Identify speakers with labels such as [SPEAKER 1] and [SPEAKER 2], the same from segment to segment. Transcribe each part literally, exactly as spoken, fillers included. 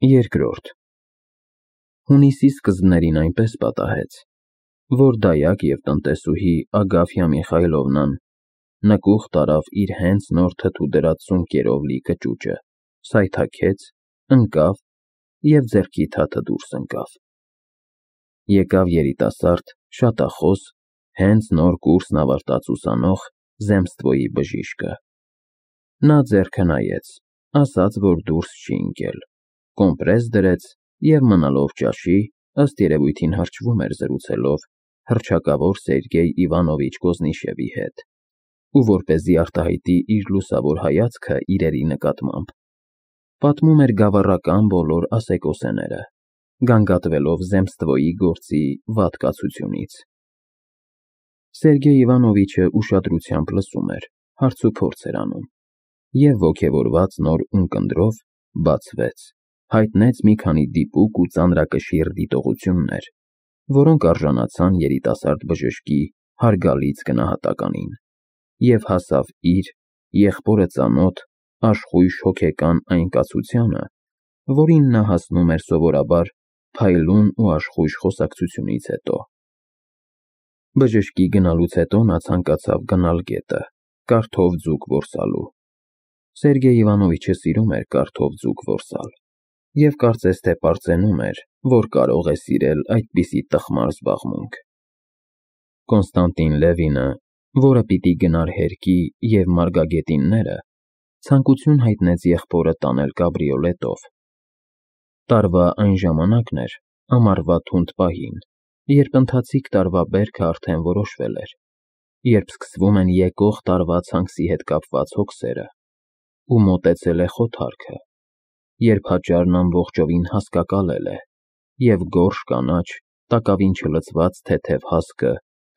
[SPEAKER 1] Երկրորդ Հունիսի սկզբներին այնպես պատահեց, որ դայակ և տնտեսուհի Ագաֆյա Միխայլովնան նկուղ տարավ իր հենց նոր թթու դրած սունկերով լի կճուճը, սայթաքեց, ընկավ և ձեռքի թաթը դուրս ընկավ։ Եկավ երիտասարդ, շատախոս, հենց նոր կուրսն ավարտած ուսանող Զեմստվոյի բժիշկը։ Նա ձեռքը նայեց, ասաց, որ դուրս չի ընկել, կոմպրես դրեց և մնալով ճաշի, ըստ երևույթին հրճվում էր զրուցելով հռչակավոր Սերգեյ Իվանովիչ Կոզնիշևի հետ, ու որպեսզի արտահայտի իր լուսավոր հայացքը իրերի նկատմամբ, պատմում էր գավառական բոլոր ասեկոսեները, գանգատվելով Զեմստվոյի գործի վատկացությունից։ Սերգեյ Իվանովիչը ուշադրությամբ լսում էր, հարցուփորձ էր անում, և ոգևորված նոր ունկնդրով բացվեց, հայտնեց մի քանի դիպուկ ու ծանրակշիռ դիտողություններ, որոնք արժանացան երիտասարդ բժշկի հարգալից գնահատականին, և հասավ իր, եղբորը ծանոթ, աշխույժ հոգեկան այն կացությանը, որին նա հասնում էր սովորաբար փայլուն ու աշխույժ խոսակցությունից հետո։ Բժշկի գնալուց հետո նա ցանկացավ գնալ գետը, կարթով ձուկ որսալու։ Սերգեյ Իվանովիչը սիրում էր կարթով ձուկ որսալ և կարծես թե պարծենում էր, որ կարող է սիրել այդպիսի տխմար զբաղմունք։ Կոնստանտին Լևինը, որը պիտի գնար հերկի և մարգագետինները, ցանկություն հայտնեց եղբորը տանել կաբրիոլետով։ Տարվա այն ժամանակն էր, ամառվա թունդ պահին, երբ ընթացիկ տարվա բերքը արդեն որոշվել էր, երբ սկսվում են եկող տարվա ցանքսի հետ կապված հոգսերը, ու մոտեցել է խոթարքը, երբ հաճարն ամբողջովին հասկակալել է, և գորշ կանաչ, տակավին չլցված թեթև հասկը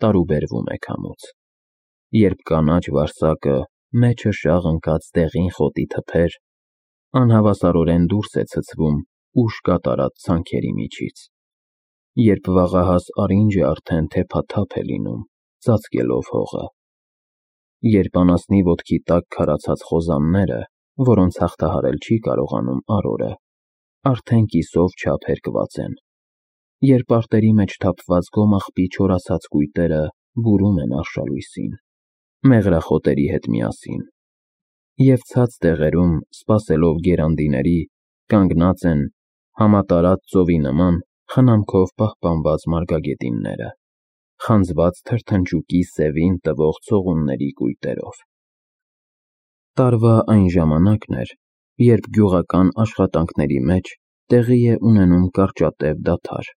[SPEAKER 1] տարուբերվում է քամուց, երբ կանաչ վարսակը, մեջը շաղ ընկած դեղին խոտի թփեր, անհավասարորեն դուրս է ցցվում ուշ կատարած ցանքերի միջից, երբ վաղահաս արինջը արդեն թեփաթափ է լինում, ծածկելով հողը, երբ անասնի ոտքի տակ քարացած խոզանները, որոնց հաղթահարել չի կարողանում արորը, արդեն կիսով չափ հերկված են, երբ արտերի մեջ թափված գոմաղբի չորացած կույտերը բուրում են արշալույսին, մեղրախոտերի հետ միասին, և ցած տեղերում, սպասելով գերանդիների, կանգնած են, համատարած ծովի նման, խնամքով պահպանված մարգագետինները, խանձված թրթնջուկի սևին տվող ցողունների կույտերով։ Տարվա այն ժամանակն էր, երբ գյուղական աշխատանքների մեջ տեղի է ունենում կարճատև դադար,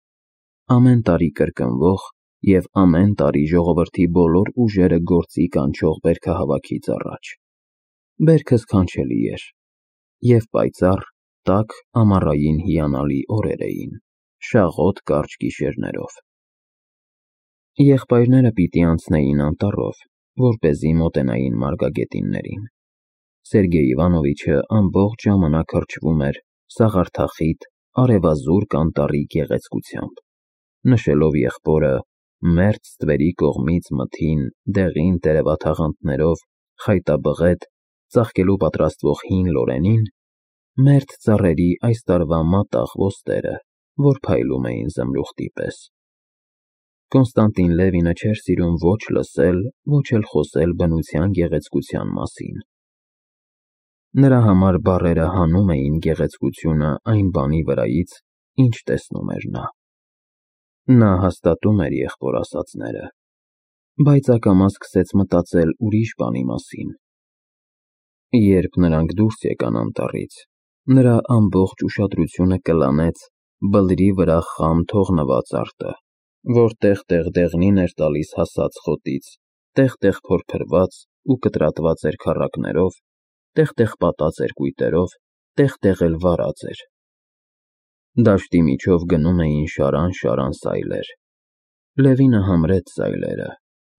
[SPEAKER 1] ամեն տարի կրկնվող և ամեն տարի ժողովրդի բոլոր ուժերը գործի կանչող բերքահավաքից առաջ։ Բերքը սքանչելի էր, և պայծառ, տաք ամառային հիանալի օրեր էին, շաղոտ կարճ գիշերներով։ Եղբայրները պիտի անցնեին անտառով, որպեսզի մոտենային մարգագետիններին։ Սերգեյ Իվանովիչը ամբողջ ժամանակ հրճվում էր սաղարթախիտ, արևազուրկ անտառի գեղեցկությամբ, նշելով եղբորը մերձ ստվերի կողմից մթին, դեղին տերևաթաղանթներով խայտաբղետ, ծաղկելու պատրաստվող հին լորենին, մերթ ծառերի այս տարվա մատաղ ոստերը, որ փայլում էին զմրուխտի պես։ Կոնստանտին Լևինը չէր սիրում ոչ լսել, ոչ էլ խոսել բնության գեղեցկության մասին։ Նրա համար բառերը հանում էին գեղեցկությունը այն բանի վրայից, ինչ տեսնում էր նա։ Նա հաստատում էր եղբոր ասածները, բայց ակամա սկսեց մտածել ուրիշ բանի մասին։ Երբ նրանք դուրս եկան անտառից, նրա ամբողջ ուշադրությունը կլանեց բլրի վրա խամ թողնված արտը, որ տեղ-տեղ դեղնին էր տալիս հասած խոտից, տեղ-տեղ փորփրված ու կտրատված էր քառակներով, տեղ֊տեղ պատած էր կույտերով, տեղ-տեղ էլ վարած էր։ Դաշտի միջով գնում էին շարան-շարան սայլեր։ Լևինը համրեց սայլերը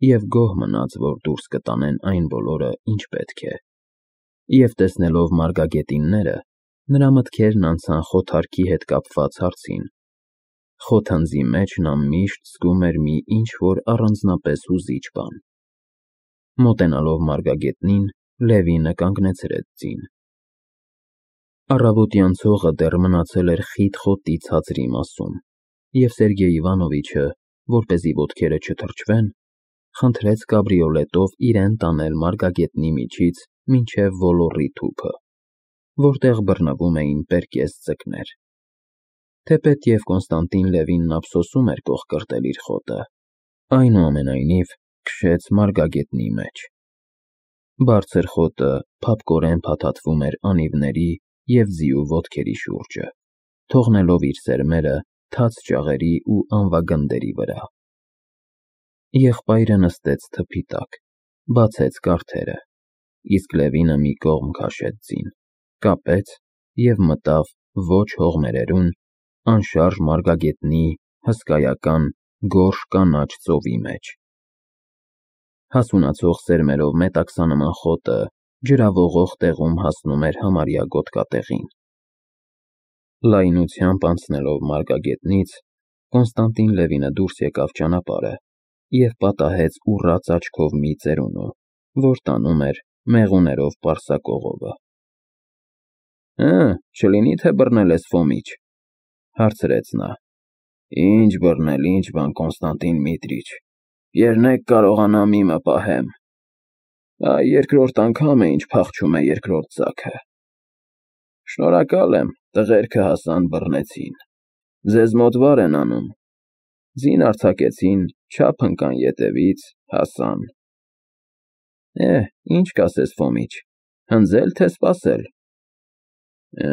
[SPEAKER 1] և գոհ մնաց, որ դուրս կտանեն այն բոլորը, ինչ պետք է, և տեսնելով մարգագետինները, նրա մտքերն անցան խոթարքի հետ կապված հարցին։ Խոթանձի մեջ նա միշտ զգում էր մի ինչ-որ առանձնապես հուզիչ բան։ Մոտենալով մարգագետնին, Լևինը կանգնեցրեց ձին։ Առավոտյան ցողը դեռ մնացել էր խիտ խոտի ցածրի մասում, և Սերգեյ Իվանովիչը, որպեսզի ոտքերը չթրջվեն, խնդրեց կաբրիոլետով իրեն տանել մարգագետնի միջից մինչև ոլորի թուփը, որտեղ բռնվում էին պերկես ձկներ։ Թեպետև Կոնստանտին Լևինն ափսոսում էր կոխկրտել իր խոտը, այնուամենայնիվ քշեց մարգագետնի մեջ։ Բարձր խոտը փափկորեն փաթաթվում էր անիվների և ձիու ոտքերի շուրջը, թողնելով իր սերմերը թաց ճաղերի ու անվագնդերի վրա։ Եղբայրը նստեց թփի տակ, բացեց կարդերը, իսկ Լևինը մի կողմ քաշեց ձին, կապեց և մտավ ոչ հողմերերուն, անշարժ մարգագետնի հսկայական գորշ կանաչ ծովի մեջ։ Հասունացող սերմերով մետաքսանման խոտը ջրավողող տեղում հասնում էր համարյա գոտկատեղին։ Լայնությամբ անցնելով մարգագետնից, Կոնստանտին Լևինը դուրս եկավ ճանապարհը և պատահեց ուռած աչքով մի ծերունու, որ տանում էր մեղուներով պարսակողովը։ «Հը, չլինի թե բռնել ես, Ֆոմիչ,֊ հարցրեց նա։ «Ինչ բռնել, ինչ բան, Կոնստանտին Միտրիչ, երնեք կարողանամ իմը պահեմ։ Այ երկրորդ անգամ է, ինչ փախչում է երկրորդ ձագը։ Շնորհակալ եմ, տղերքը հասան, բռնեցին, ձեզ մոտ վար են անում, ձին արձակեցին, չափ ընկան ետևից, հասան։ Է, ինչ կասես, Ֆոմիչ, հնձե՞լ, թե սպասել»։ Է,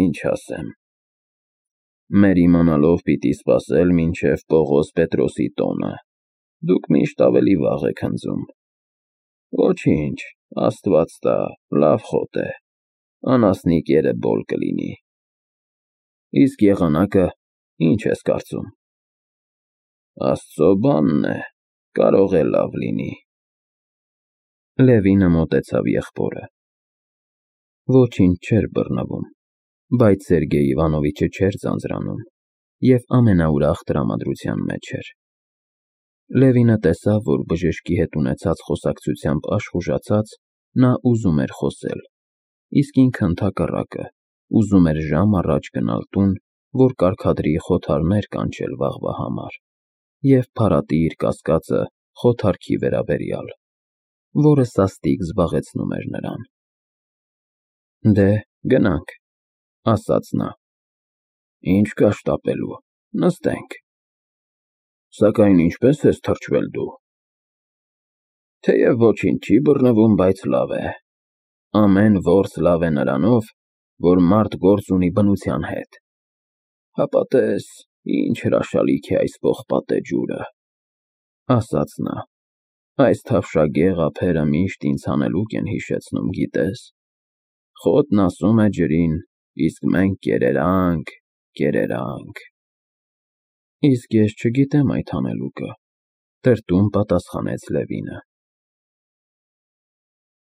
[SPEAKER 1] ինչ ասեմ։ Մեր իմանալով պիտի սպասել մինչև Պողոս Պետրոսի տոնը, դուք միշտ ավելի վաղ եք հնձում։ Ոչինչ, Աստված տա, լավ խոտ է, անասնիկ երեբոլ կլինի։ Իսկ եղանակը ինչ ես կարծում։ Աստծո բանն է, կարող է լավ լինի։ Լևինը մոտեցավ եղբորը։ Ոչինչ չէր բռնվում, բայց Սերգեյ Իվանովիչը չէր ձանձրանում և ամենաուրախ տրամադրության մեջ էր։ Լևինը տեսավ, որ բժշկի հետ ունեցած խոսակցությամբ աշխուժացած, նա ուզում էր խոսել, իսկ ինքը ընդհակառակը, ուզում էր ժամ առաջ գնալ տուն, որ կարգադրի խոթարներ կանչել վաղվա համար և փարատի իր կասկածը խոթարքի վերաբերյալ, որը սաստիկ զբաղեցնում էր նրան։ Դե, գնանք, ասաց նա։ Ինչ կա շտապելու, նստենք։ Սակայն ինչպե՞ս ես թրջվել դու։ Թեև ոչինչ չի բռնվում, բայց լավ է։ Ամեն որս լավ է նրանով, որ մարդ գործ ունի բնության հետ։ Հապա տես, ինչ հրաշալիք է այս պողպատե ջուրը, ասաց նա։ Այս թավշագեղ ափերը միշտ ինձ հանելուկ են հիշեցնում, գիտես։ Խոտն ասում է ջրին, իսկ մենք կերերանք, կերերանք։ Իսկ ես չգիտեմ այդ հանելուկը, տրտում պատասխանեց Լևինը։